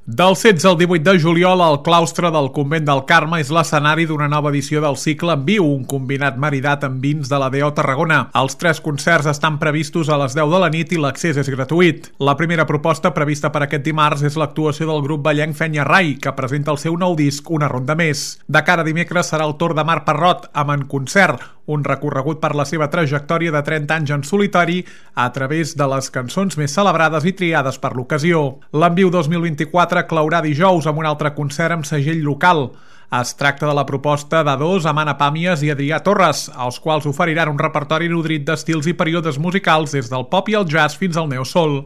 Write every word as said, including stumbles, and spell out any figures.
Del setze al divuit de juliol, el claustre del Convent del Carme és l'escenari d'una nova edició del cicle En Viu, un combinat maridat amb vins de la D O Tarragona. Els tres concerts estan previstos a les deu de la nit i l'accés és gratuït. La primera proposta prevista per aquest dimarts és l'actuació del grup ballenc Fenya Rai, que presenta el seu nou disc Una ronda més. De cara a dimecres serà el torn de Marc Parrot amb En Concert, un recorregut per la seva trajectòria de trenta anys en solitari a través de les cançons més celebrades i triades per l'ocasió. L'En Viu dos mil vint-i-quatre claurà dijous amb un altre concert amb segell local. Es tracta de la proposta d'A dos amb Anna Pàmies i Adrià Torres, els quals oferiran un repertori nodrit d'estils i períodes musicals des del pop i el jazz fins al neosoul.